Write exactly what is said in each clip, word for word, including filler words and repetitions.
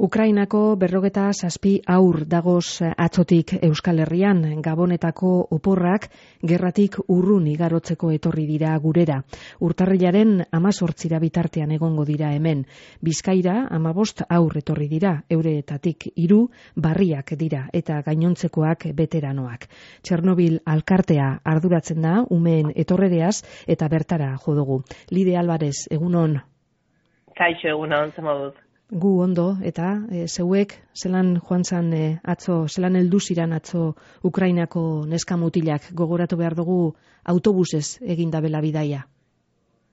Ukrainako berrogeta zazpi haur dagoz atzotik Euskal Herrian, Gabonetako oporrak gerratik urrun igarotzeko etorri dira gurera. Urtarrilaren hamazortzira bitartean egongo dira hemen. Bizkaira hamabost haur etorri dira, eureetatik hiru barriak dira eta gainontzekoak beteranoak. Txernobil alkartea arduratzen da umeen etorrereaz eta bertara jo dugu. Lide Alvarez, egunon. Kaixo, egunon, zemodut. Gu ondo, eta e, zeuek, zelan joan zan e, atzo, zelan heldu ziran atzo Ukrainako neska mutilak, gogoratu behar dugu autobusez eginda bela bidaia.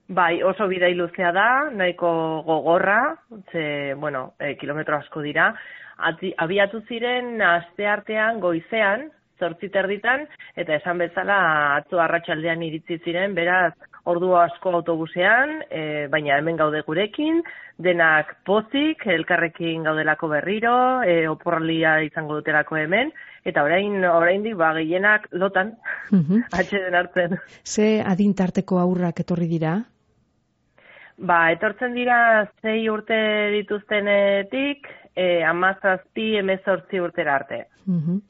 Bai, oso bidai luzea da, nahiko gogorra, ze, bueno, e, kilometro asko dira. Ati, abiatu ziren aste artean goizean, zortzi terditan, eta esan bezala atzo arratsaldean iritsi ziren, beraz, ordu asko autobusean, e, baina hemen gaude gurekin, denak pozik, elkarrekin gaudelako berriro, e, oporralia izango dutelako hemen, eta orain oraindik ba gehienak lotan, uh-huh. atxeden hartzen. Ze adintarteko aurrak etorri dira? Ba, etortzen dira zei urte dituztenetik, e, hamazazpi, hemezortzi urtera arte. Uh-huh.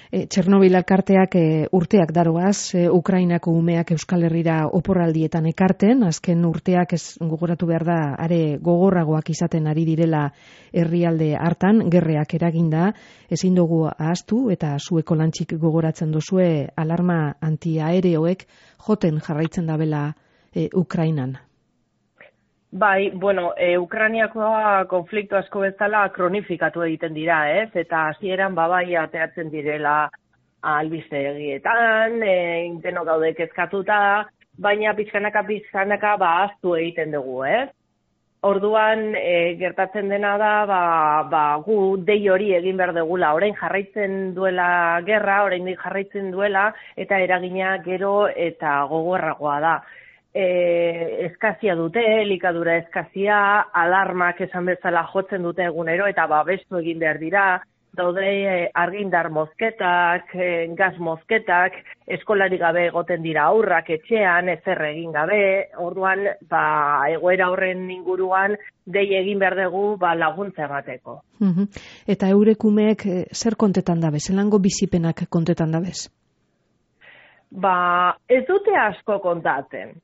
E, Txernobil alkarteak e, urteak daroaz, e, Ukrainako umeak Euskal Herrira oporraldietan ekarten, azken urteak ez gogoratu behar da, are gogorragoak izaten ari direla herrialde hartan, gerreak eraginda, ezin dugu ahaztu eta zueko lantxik gogoratzen duzue alarma antiaereoek joten jarraitzen dabela e, Ukrainan. Bai, bueno, e, Ukrainiakoa konflikto asko bezala kronifikatu egiten dira, ez? Eta hasieran babai ateatzen direla albistegietan, e, inteno gaude kezkatuta, baina pizkanaka pizkanaka ba ahaztu egiten dugu, ez? Orduan e, gertatzen dena da, ba, ba gu dei hori egin behar dugula, orain jarraitzen duela gerra, oraindik jarraitzen duela eta eragina gero eta gogorragoa da. E, eskazia dute, elikadura eskazia, alarmak esan bezala jotzen dute egunero eta babestu egin behar dira, daude e, argindar mozketak, e, gaz mozketak, eskolari gabe egoten dira aurrak etxean, ezer egin gabe, orduan ba, egoera horren inguruan dei egin behar dugu ba, laguntza emateko. Uh-huh. Eta eurekumeek e, zer kontetan dabe, zelango bizipenak kontetan dabez? Ba, ez dute asko kontatzen.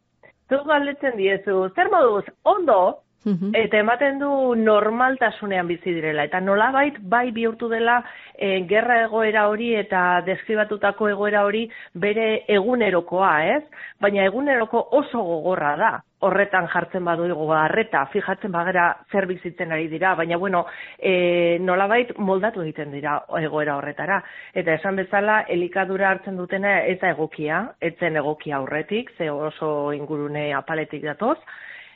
Zu galdetzen diezu, zer moduz, ondo, uh-huh. eta ematen du normaltasunean bizi direla. Eta nolabait bai bihurtu dela e, gerra egoera hori eta deskribatutako egoera hori bere egunerokoa, ez? Baina eguneroko oso gogorra da. Horretan jartzen badugu harreta, fijatzen bagera zer bizitzen ari dira, baina bueno, e, nolabait moldatu egiten dira egoera horretara. Eta esan bezala, elikadura hartzen dutena ez da egokia, etzen egokia aurretik, ze oso ingurune apaletik datoz,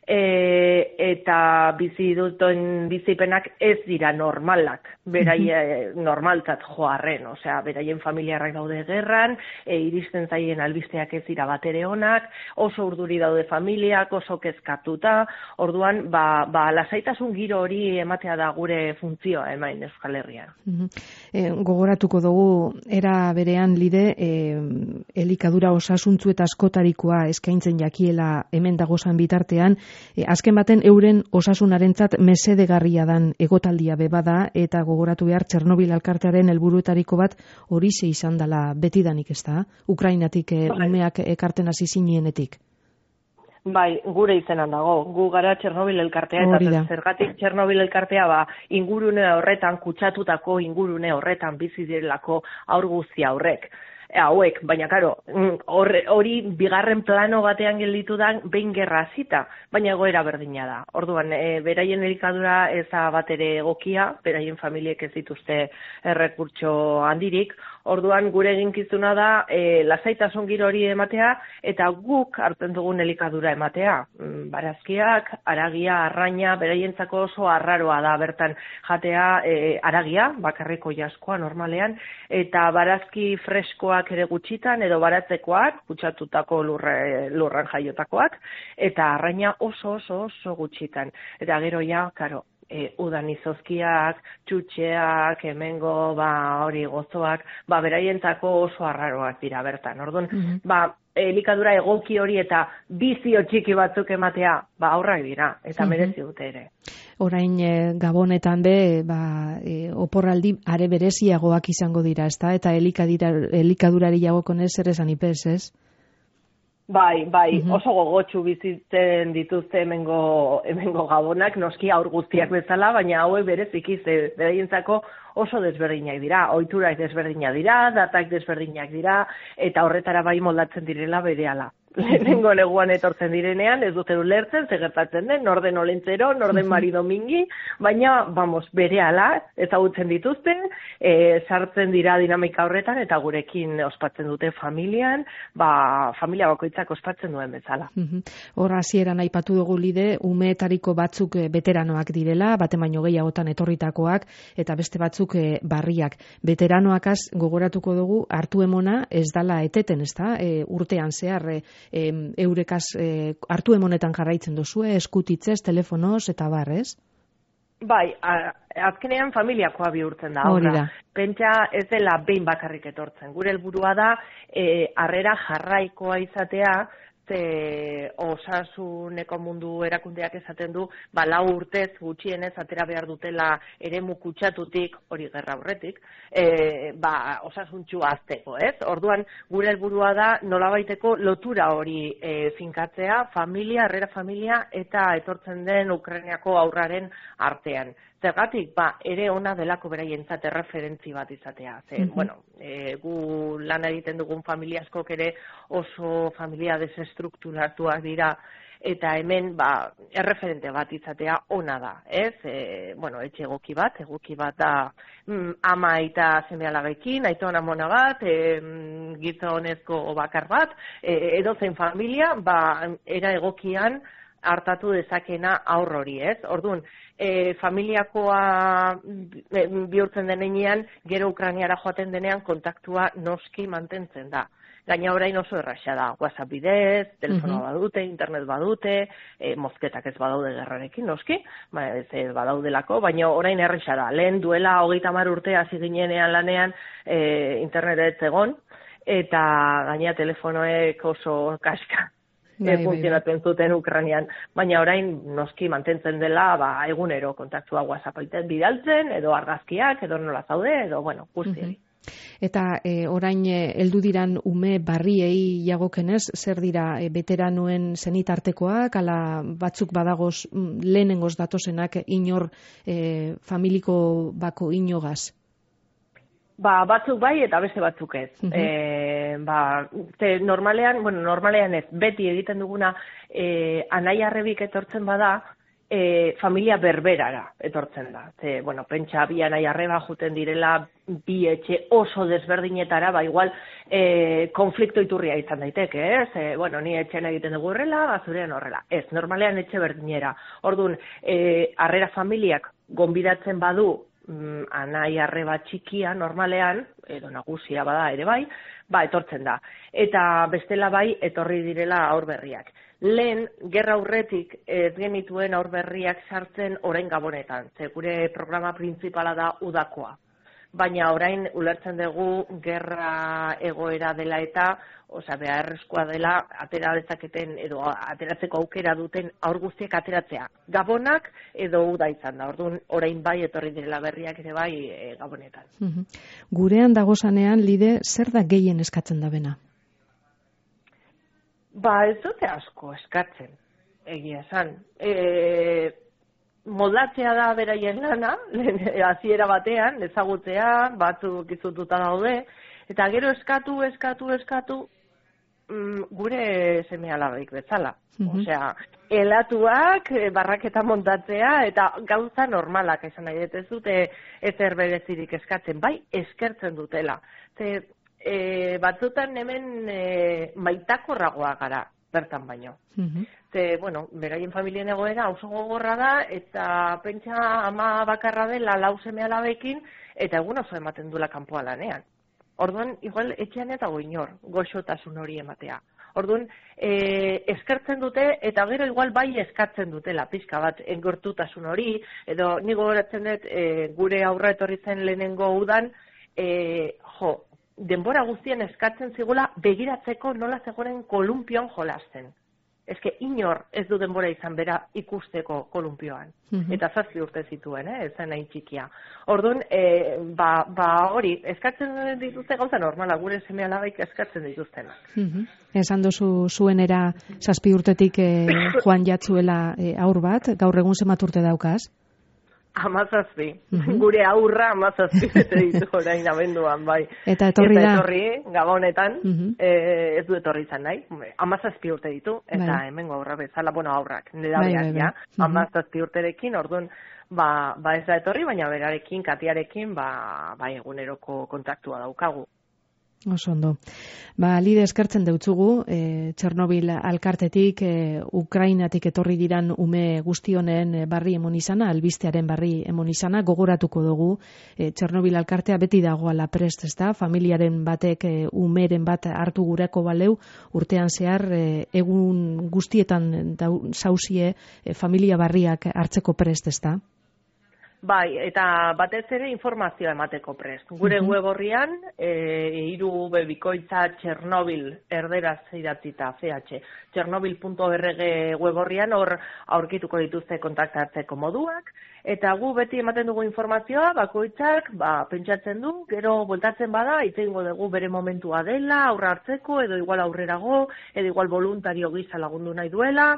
e, eta bizi duten bizipenak ez dira normalak, beraien normaltzat joarren, osea, beraien familiarrak daude gerran, e, iristen zaien albisteak ez dira batere onak, oso urduri daude familiak, oso kezkatuta, orduan, ba, ba lasaitasun giro hori ematea da gure funtzioa emain Euskal Herrian. Uh-huh. E, gogoratuko dugu, era berean lide, e, elikadura osasuntzu eta askotarikoa eskaintzen jakiela hemen dagozan bitartean, E, azken baten euren osasunarentzat mesedegarria dan egotaldia bebada eta gogoratu behar Txernobil alkartearen helburuetariko bat horixe izan dela betidanik, ez da? Ukrainatik e, umeak ekarten hasi zinienetik. Bai, gure izenan dago. Gu gara Txernobil elkartea eta zergatik Txernobil elkartea ba ingurune horretan kutsatutako ingurune horretan bizi direlako haur guzti aurrek. Hauek, baina karo, hori bigarren plano batean gelditu da behin gerra hasita, baina egoera berdina da. Orduan, e, beraien elikadura ez da batere egokia, beraien familiek ez dituzte errekurtso handirik, orduan gure eginkizuna da e, lasaitasun giro hori ematea eta guk hartzen dugun elikadura ematea. Barazkiak, aragia, arraina, beraientzako oso arraroa da bertan jatea e, aragia, bakarriko jaskoa normalean, eta barazki freskoa ere gutxitan edo baratzekoak, kutsatutako lurre, lurran jaiotakoak, eta arraina oso oso oso gutxitan. Eta gero ja, karo, e, udan izozkiak, txutxeak, hemengo ba, hori gozoak, ba, beraientzako oso arraroak dira bertan. Orduan, mm-hmm. ba, elikadura egoki hori eta bizio txiki batzuk ematea, ba, aurrak dira, eta mm-hmm. merezi dute ere. Orain e, Gabonetan be, ba, e, oporraldi are bereziagoak izango dira, ezta? Eta elikadurari jagokonez ere esan ipez, ez? Bai, bai, uh-huh. oso gogotsu bizitzen dituzte hemengo, hemengo Gabonak, noski aur guztiak bezala, baina hauek bereziki ze beraientzako oso desberdinak dira, ohiturak desberdinak dira, datak desberdinak dira, eta horretara bai moldatzen direla berehala. Lehenengo neguan etortzen direnean, ez dute ulertzen, ze gertatzen den, norden olentzero, norden mari domingi, baina, vamos, berehala, ezagutzen dituzte, e, sartzen dira dinamika horretan, eta gurekin ospatzen dute familian, ba, familia bakoitzak ospatzen duen bezala. Hor hasieran aipatu dugu Lide, umeetariko batzuk veteranoak direla, bate baino gehiagotan etorritakoak, eta beste batzuk e, barriak. Veteranoakaz gogoratuko dugu, hartu emona ez dala eteten, ez da, e, urtean zehar, e, E, eurekaz e, hartu emonetan jarraitzen duzue, eskutitzez, telefonoz, eta bar, ez? Bai, a, azkenean familiakoa bihurtzen da. Hori da. Pentsa ez dela behin bakarrik etortzen. Gure helburua da, e, harrera jarraikoa izatea, ze osasuneko mundu erakundeak esaten du, ba, lau urtez gutxienez atera behar dutela eremu kutsatutik, hori gerra aurretik, e, ba, osasuntxu azteko, ez? Orduan, gure helburua da nolabaiteko lotura hori e, finkatzea, familia, harrera familia, eta etortzen den Ukrainiako aurraren artean. Zergatik, ba, ere ona delako beraientzat erreferentzi bat izatea. Ze, mm-hmm. bueno, e, gu lan egiten dugun familia askok ere oso familia desestrukturatuak dira, eta hemen, ba, erreferente bat izatea ona da, ez? E, bueno, etxe egoki bat, egoki bat da mm, ama eta seme-alabekin, aiton amona bat, e, gizonezko bakar bat, e, edozein familia, ba, era egokian hartatu dezakena aurr hori, ez? Orduan, e, familiakoa e, bihurtzen denean, gero Ukrainiara joaten denean kontaktua noski mantentzen da. Gaina orain oso erraxa da, WhatsApp bidez, telefono uh-huh. badute, internet badute, e, mozketak ez badaude gerrarekin, noski, ba, ez badaudelako, baina orain erraxa da. Lehen duela hogeita hamar urte hasi ginenean lanean e, internet ez egon, eta gaina telefonoek oso kaska. Bai, funtzionatzen zuten Ukrainian, baina orain noski mantentzen dela ba, egunero kontaktua WhatsApp bidaltzen, edo argazkiak, edo nola zaude, edo, bueno, guztiei. Uh-huh. Eta e, orain heldu diran ume barriei jagokenez, zer dira e, veteranuen zenitartekoak, ala batzuk badagoz lehenengoz datozenak inor e, familiko bako inogaz? Ba, batzuk bai eta beste batzuk ez. Uh-huh. E, ba, te normalean, bueno, normalean ez, beti egiten duguna e, anai arrebik etortzen bada, e, familia berberara etortzen da. Te, bueno, pentsa bi anai arreba juten direla bi etxe oso desberdinetara, ba, igual e, konflikto iturria izan daiteke, ez? E, bueno, ni etxean egiten dugu horrela, bazurean horrela. Ez, normalean etxe berdinera. Orduan, e, harrera familiak gonbidatzen badu, anai arreba txikia normalean, edo nagusia bada ere bai, ba etortzen da. Eta bestela bai etorri direla aurberriak. Lehen, gerra aurretik ez genituen aurberriak sartzen orain Gabonetan, ze gure programa printzipala da udakoa. Baina orain ulertzen dugu gerra egoera dela eta, osea, beharrezkoa dela atera dezaketen edo ateratzeko aukera duten aur guztiak ateratzea. Gabonak edo uda izan da. Orduan orain bai etorri direla berriak ere bai e, Gabonetan. Uh-huh. Gurean dagozanean Lide, zer da gehien eskatzen da bena? Ba, ez dute asko eskatzen. Egia esan. E, moldatzea da beraien lana, hasiera batean, ezagutzea, batzuk izututa daude, eta gero eskatu, eskatu, eskatu, mm, gure seme-alabeik bezala. Mm-hmm. Osea, elatuak, barraketa montatzea, eta gauza normalak esan nahi, ez dute ezer berezirik eskatzen, bai eskertzen dutela. Ze, e, batzutan hemen e, maitakorragoa gara, bertan baino. Mm-hmm. Ze, bueno, beraien familien egoera oso gogorra da, eta pentsa ama bakarra dela lau seme-alabekin, eta egun oso ematen dula kanpoa lanean. Orduan, igual, etxean eta goinor, goxotasun hori ematea. Orduan, e, eskertzen dute, eta gero igual bai eskatzen dutela, pixka bat, engortutasun hori, edo ni gogoratzen dut, e, gure aurra etorri zen lehenengo udan, e, jo, denbora guztien eskatzen zigula begiratzeko nola zegoen kolumpion jolasten. Ez que inor ez du denbora izan bera ikusteko kolumpioan. Mm-hmm. Eta zazpi urte zituen, eh? Ez zen hain txikia. Orduan, e, ba, ba hori, eskatzen dituzte gauza normala, gure seme alabaik eskatzen dituztenak. Mm-hmm. Esan duzu zuenera zazpi urtetik e, joan jatzuela e, aur bat, gaur egun zenbat urte daukaz? Amazazpi. Mm-hmm. Gure aurra amazazpi bete ditu orain abenduan, bai. Eta etorri da? Eta etorri, gabonetan, mm-hmm. e, ez du etorri izan nahi. Amazazpi urte ditu, eta bai. Hemengo aurra bezala, bueno, aurrak, nera bai, behar, bai, ja. Mm-hmm. Amazazpi urterekin, orduan, ba, ba ez da etorri, baina berarekin, Katiarekin, ba, ba eguneroko kontaktua daukagu. Oso ondo. Ba, Lide eskertzen deutzugu, e, Txernobil alkartetik, e, Ukrainatik etorri diran ume guztionen barri emon izana, albistearen barri emon izana, gogoratuko dugu, e, Txernobil alkartea beti dagoala prest, ez da, familiaren batek e, umeren bat hartu gureko baleu, urtean zehar, e, egun guztietan zauzie e, familia barriak hartzeko prest, ez da? Bai, eta batez ere informazioa emateko prest. Gure uh-huh. web horrian, e, iru bebikoitza Txernobil erderaz idatzita, C H, txernobil puntu org web horrian hor aurkituko dituzte kontaktatzeko moduak, eta gu beti ematen dugu informazioa, bakoitzak, ba, pentsatzen du, gero bueltatzen bada, itzengo dugu bere momentua dela, aurra hartzeko, edo igual aurrerago, edo igual voluntario gisa lagundu nahi duela,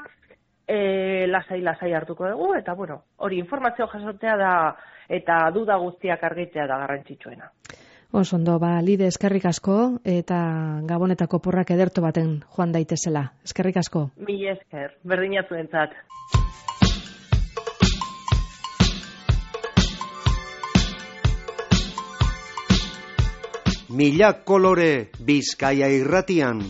E, lasai lasai hartuko dugu, eta bueno, hori informazio jasotzea da, eta duda guztiak argitzea da garrantzitsuena. Oso ondo, ba, Lide eskerrik asko, eta Gabonetako porrak ederto baten joan daitezela. Eskerrik asko. Mil esker, berdina zuentzat. Mila kolore Bizkaia irratian.